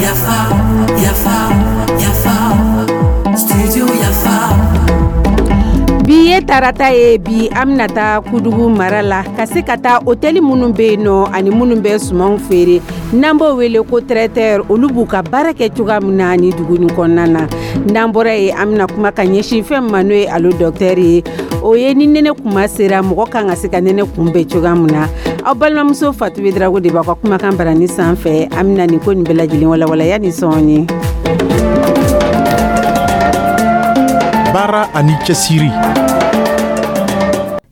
Yafa, yafa, yafa, studio Yafa. Bi ye tarata ye. Bi, an bɛna taa Kudugu mara la ka se ka taa otɛli minnu bɛ yen nɔ ani minnu bɛ sumanw feere, n'an b'o wele ko traiteur, olu b'u ka baara kɛ cogoya min na ni dugu nin kɔnɔna na. N'an bɔra yen, an bɛna kuma ka ɲɛsin fɛn ma, n'o ye Allo Docteur ye. O ye ni nɛnɛ kuma sera, mɔgɔ kan ka se ka nɛnɛ kunbɛn cogoya min na. Aw balimamuso Fatu Drago de b'aw ka kumakan barani sanfɛ. An bɛna nin ko nin bɛɛ lajɛlen walawala yanni sɔɔni. Baara ani cɛsiri.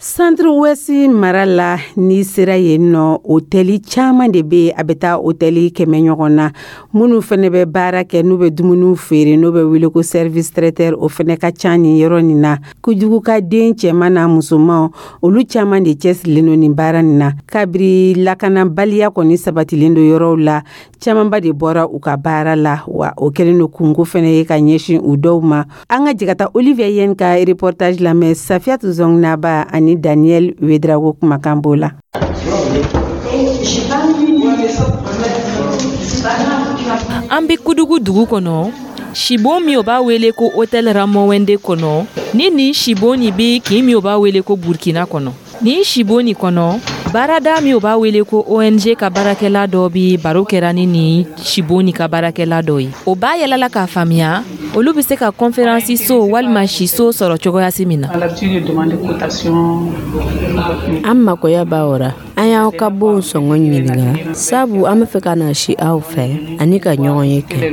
Centre Ouest mara la, n'i sera yen nɔ, otɛli caman de bɛ yen. A bɛ taa otɛli 100 ɲɔgɔn na. Minnu fana bɛ baara kɛ, n'u bɛ dumuniw feere, n'u bɛ wele ko service traiteur, o fana ka ca nin yɔrɔ nin na. Kudugu ka den cɛman n'a musoman, olu caman de cɛsirilen don nin baara nin na. Kabiri lakanabaliya kɔni sabatilen don yɔrɔw la, camanba de bɔra u ka baara la, wa o kɛlen don kunko fana ye ka ɲɛsin u dɔw ma. An ka jɛ ka taa Olivier Yen ka reportage lamɛn. Safiyatu Zɔngnaba ani Daniel Wedrago kumakan b'o la. An bɛ Kudugu dugu kɔnɔ, sibon min o b'a wele ko Hôtel Ramowende kɔnɔ. Ni nin sibon nin bɛ kin min o b'a wele ko Burkina kɔnɔ. Nin sibon nin kɔnɔ, baarada min o b'a wele ko ONG ka baarakɛla dɔ bɛ baro kɛra ni nin sibon nin ka baarakɛla dɔ ye. O b'a yɛlɛla k'a faamuya olu bɛ se ka conférence so walima siso sɔrɔ cogoya si min na. An makoya b'a o ra. An y'aw ka bonw sɔngɔ ɲininka, sabu an bɛ fɛ ka na si aw fɛ ani ka ɲɔgɔn ye kɛ.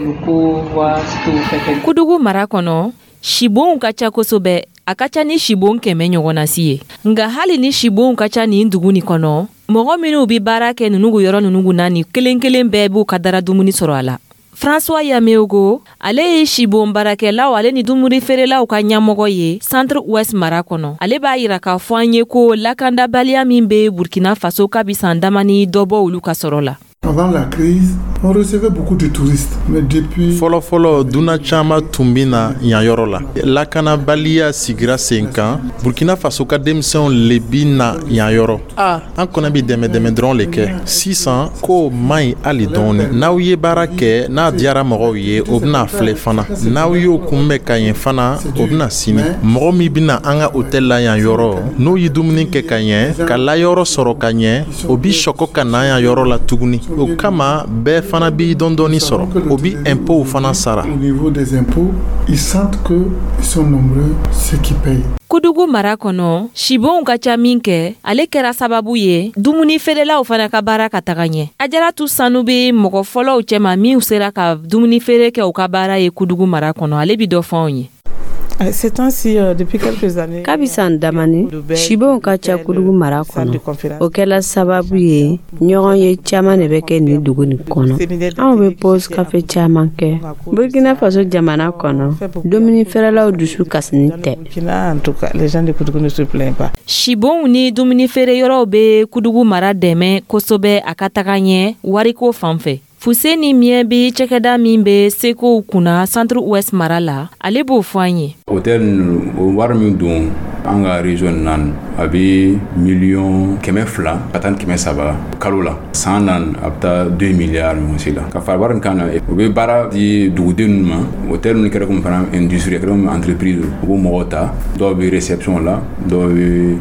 Kudugu mara kɔnɔ, sibonw ka ca kosɛbɛ. A ka ca ni sibon 100 ɲɔgɔnna si ye. Nka hali ni sibonw ka ca nin dugu nin kɔnɔ, mɔgɔ minnu bɛ baara kɛ ninnu yɔrɔ ninnu na, ni kelen kelen bɛɛ b'u ka dara dumuni sɔrɔ a la. François Yameogo, ale ye sibon baarakɛlaw ale ni dumuni feerelaw ka ɲɛmɔgɔ ye Centre Ouest mara kɔnɔ. Ale b'a yira k'a fɔ an ye ko lakandabaliya min bɛ Burkina Faso kabi san damani, dɔ bɔ olu ka sɔrɔ la. Avant la crise, on recevait beaucoup de touristes. Mais depuis. Fɔlɔfɔlɔ, dunan caman tun bɛ na yan yɔrɔ la. Lakanabaliya sigira sen kan, Burkina Faso ka denmisɛnw le bi na yan yɔrɔ. A an kɔni bi dɛmɛ dɛmɛ dɔrɔn le kɛ. Sisan ko man ɲi hali dɔɔni. N'aw ye baara kɛ, n'a diyara mɔgɔw ye, o bɛna filɛ fana. N'aw y'o kunbɛn ka ɲɛ fana, o bɛna sini. Mɔgɔ min bɛna an ka hôtel la yan yɔrɔ, n'o ye dumuni kɛ ka ɲɛ, ka layɔrɔ sɔrɔ ka ɲɛ, o bi sɔkɔ ka na yan yɔrɔ la tuguni. O kama, bɛɛ fana bi dɔɔni sɔrɔ, o bi impôts fana sara. Au niveau des impôts, ils sentent que ils sont nombreux ceux qui payent. Kudugu mara kɔnɔ, sibonw ka ca min kɛ, ale kɛra sababu ye dumuni feerelaw fana ka baara ka taga ɲɛ. Ajaratu Sanu bɛ mɔgɔ fɔlɔw cɛma min sera ka dumuni feere kɛ u ka baara ye Kudugu mara kɔnɔ. Ale bi dɔ fɔ anw ye. Kabi san damani, sibonw ka ca Kudugu mara kɔnɔ. O kɛla sababu ye ɲɔgɔn ye caman de bɛ kɛ nin dugu nin kɔnɔ. Anw bɛ pause café caman kɛ. Burkina Faso jamana kɔnɔ, dumuni feerelaw dusu kasini tɛ. Sibonw ni dumuni feere yɔrɔw bɛ Kudugu mara dɛmɛ kosɛbɛ a ka taga ɲɛ wariko fan fɛ. Fuseni Miɲɛ bɛ cakɛda min bɛ sekow kunna Centre Ouest mara la, ale b'o fɔ an ye. Hôtel ninnu, o wari min don an ka région na, a bɛ 200 miliyɔn ka taa ni 300 kalo la. San na, a bɛ taa 2 milliards ɲɔgɔn si la. Ka fara wari kan na, u bɛ baara di duguden ninnu ma. Hôtel ninnu kɛra komi fana industrie, kɛra komi entreprise. U b'o mɔgɔw ta, dɔw bɛ réception la, dɔw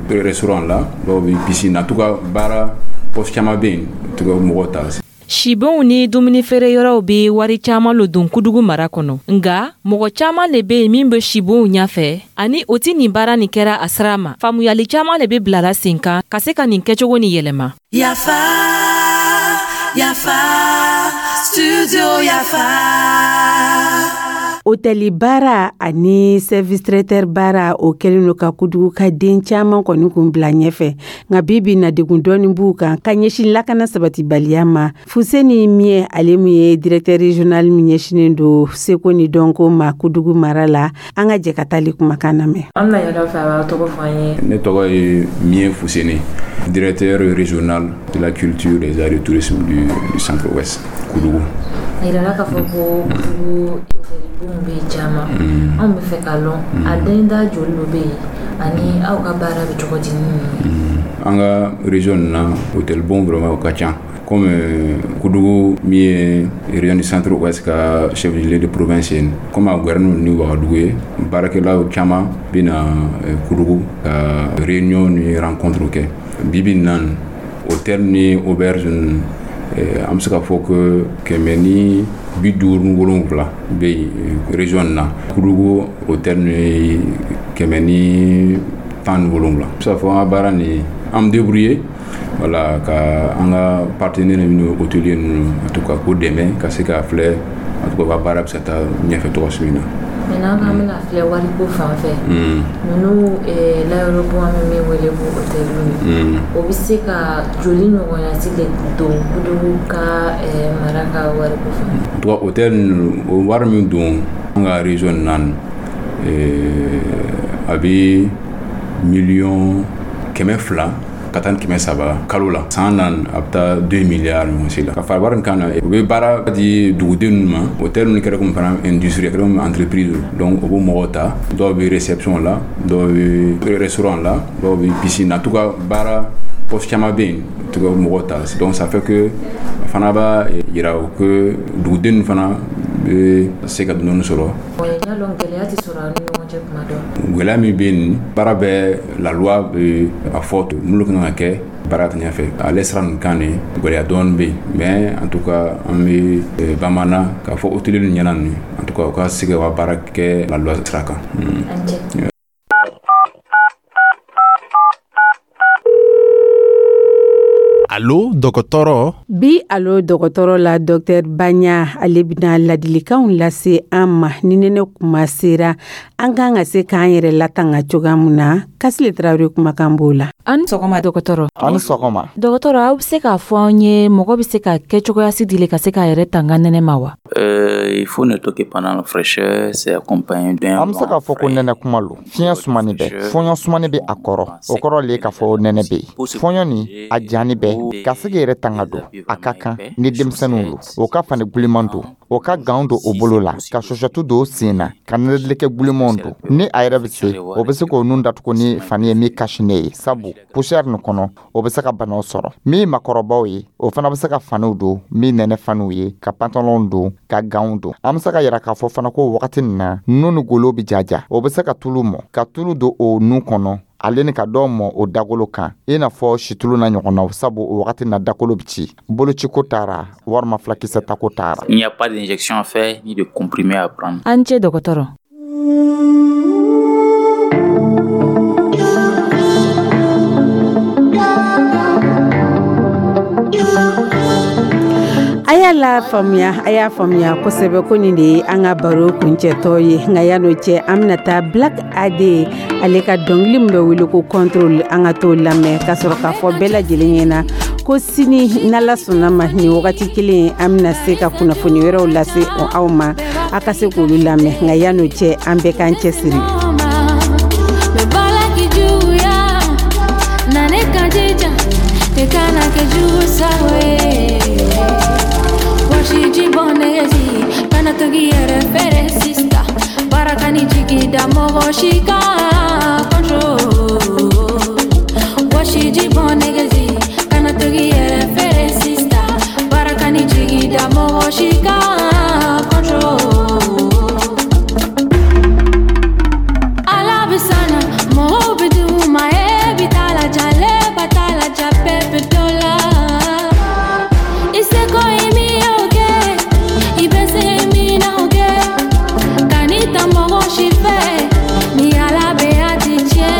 bɛ restaurant la, dɔw bɛ piscine na. En tout cas, baara poste caman bɛ yen, en tout cas mɔgɔw ta. Sibonw ni dumuni feere yɔrɔw bɛ wari caman lo don Kudugu mara kɔnɔ. Nga mɔgɔ caman le bɛ yen min bɛ sibonw ɲɛfɛ ani o ti nin baara nin kɛra a sira ma. Faamuyali caman le bɛ bilala sen kan ka se ka nin kɛcogo nin yɛlɛma. Yafa, yafa, studio Yafa. Otɛli baara ani service traiteur baara, o kɛlen don ka Kudugu ka den caman kɔni kun bila ɲɛfɛ. Nka bi bi na, degun dɔɔni b'u kan ka ɲɛsin lakana sabatibaliya ma. Fuseni Miɲɛ, ale min ye directeur régional min ɲɛsinnen don seko ni dɔnko ma Kudugu mara la, an ka jɛ ka taali kumakan lamɛn. An bɛna ɲɛdɔn fɛ, a b'aw tɔgɔ fɔ an ye. Ne tɔgɔ ye Miɲɛ Fuseni, directeur régional de la culture, des arts et du tourisme du Centre-Ouest, Koudougou. A yirala k'a fɔ ko Kudugu hôtelibonw bɛ yen caman. Anw bɛ fɛ k'a lɔn, a den da joli lo bɛ yen ani aw ka baara bɛ cogo di ni ninnu ye? An ka région na, hôtel bon vraiment o ka ca, comme Koudougou min ye région du Centre Ouest ka chef de de province ye, comme a gwɛrɛnu ni Wagadugu ye, baarakɛlaw caman bɛna Koudougou ka réunion ni rencontre kɛ. Bi bi in na, hôtel ni auberge, an bɛ se ka fɔ ko 157 bɛ yen région na. Koudougou hôtel ni 117. Bɛ se ka fɔ an ka baara nin, an bɛ débrouiller, voilà, ka an ka partenaire minnu, hôtelier ninnu, en tout cas k'u dɛmɛ ka se k'a filɛ, en tout cas u ka baara bɛ se ka taa ɲɛfɛ cogo min na. Maintenant k'an bɛna filɛ wariko fan fɛ, ninnu layɔrɔbon, an bɛ min wele ko hôteliw ye, o bɛ se ka joli ɲɔgɔnya si de don Koudougou ka mara ka wariko fan? En tout cas, hôtel ninnu, o wari min don an ka région na, a bɛ 200 miliyɔn ka taa ni 300 kalo la. San na, a bɛ taa 2 milliards ɲɔgɔn si la. Ka fara wari in kan na, u bɛ baara di duguden ninnu ma. Hôtel ninnu kɛra komi fana industrie, kɛra komi entreprise. Donc u b'o mɔgɔw ta, dɔw bɛ réception la, dɔw bɛ restaurant la, dɔw bɛ piscine na. En tout cas, baara poste caman bɛ yen, en tout cas mɔgɔw ta. Donc ça fait que fana b'a yira que duguden ninnu fana bɛ se ka dɔɔni sɔrɔ. N y'a dɔn gɛlɛya tɛ sɔrɔ aw ni ɲɔgɔn cɛ kuma dɔ. Gɛlɛya min bɛ yen, baara bɛɛ, la loi bɛ a fɔ minnu kan ka kɛ baara ta ɲɛfɛ, ale sira ninnu kan nin, gɛlɛya dɔɔni bɛ yen. Mais en tout cas, an bɛ bamanan k'a fɔ hôtelier ninnu ɲɛna nin, en tout cas u ka se ka baara kɛ la loi sira kan. Allo dɔgɔtɔrɔ. Bi Allo dɔgɔtɔrɔ la, docteur Baɲa, ale bɛna ladilikanw lase an ma ni nɛnɛ kuma sera, an kan ka se k'an yɛrɛ latanga cogoya min na. Kasile Tarawele kumakan b'o la. An ni sɔgɔma, dɔgɔtɔrɔ. An ni sɔgɔma. Dɔgɔtɔrɔ, aw bɛ se k'a fɔ an ye, mɔgɔ bɛ se ka kɛ cogoya si dile ka se k'a yɛrɛ tanga nɛnɛ ma wa? Il faut noter que pendant la fraîcheur, c'est accompagné d'un An bɛ se k'a fɔ ko nɛnɛ kuma lo, fiɲɛ sumani bɛ, fɔɲɔ sumani bɛ a kɔrɔ. O kɔrɔ le k'a fɔ nɛnɛ bɛ yen. Fɔɲɔ nin a jani bɛ ka se k'i yɛrɛ tanga don. A ka kan ni denmisɛnninw lo, o ka fani guliman don, o ka gants don o bolo la, ka sɔsɔtu don o sen na, ka nɛnɛdilɛkɛ gulimanw don. Ni a yɛrɛ bɛ se, o bɛ se k'o nun datugu ni fani ye min cache-nez ye, sabu poussière nin kɔnɔ, o bɛ se ka banaw sɔrɔ. Min makɔrɔbaw ye, o fana bɛ se ka faniw don min nɛnɛ faniw ye, ka pantalon don, ka gants don. An bɛ se ka yira k'a fɔ fana ko wagati nin na, nun ni golo bɛ jaja, o bɛ se ka tulu mɔ, ka tulu don o nun kɔnɔ, ale ni ka dɔw mɔ o dagolo kan, i n'a fɔ situlu na ɲɔgɔnnaw, sabu o wagati na dakolo bɛ ci, bolociko taara walima fulakisɛ tako taara. Il n'y a pas d'injection à faire ni de comprimé à prendre. An cɛ, dɔgɔtɔrɔ. A y'a la faamuya, a y'a faamuya kosɛbɛ ko nin de ye an ka baro kuncɛtɔ ye. Nka yan'o cɛ, an bɛna taa Black AD, ale ka dɔnkili min bɛ wele ko Contrôle, an ka t'o lamɛn ka sɔrɔ k'a fɔ bɛɛ lajɛlen ɲɛna ko sini, n'Ala sɔnna ma, nin wagati kelen, an bɛna se ka kunnafoni wɛrɛw lase aw ma, a ka se k'olu lamɛn. Nka yan'o cɛ, an bɛɛ k'an cɛsiri. Kana togi yɛrɛ fɛrɛ sista baraka ni jigi da mɔgɔ si kan contrôle. Wɔsiji bɔn nɛgɛzi kana togi yɛrɛ fɛrɛ sista baraka ni jigi da mɔgɔ si kan contrôle. Ala bɛ sana mɔgɔw bɛ d'u ma, e bi taa la ja, le ba t'a la ja, bɛɛ bɛ dɔ la. I seko ye min ye o kɛ, i bɛ se min na o kɛ, kan'i ta mɔgɔ si fɛ, ni Ala bɛ a ti tiɲɛ.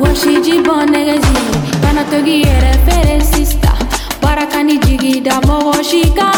Wɔsiji bɔn nɛgɛzi kana togi yɛrɛ fɛrɛ sista baraka ni jigi da mɔgɔ si kan.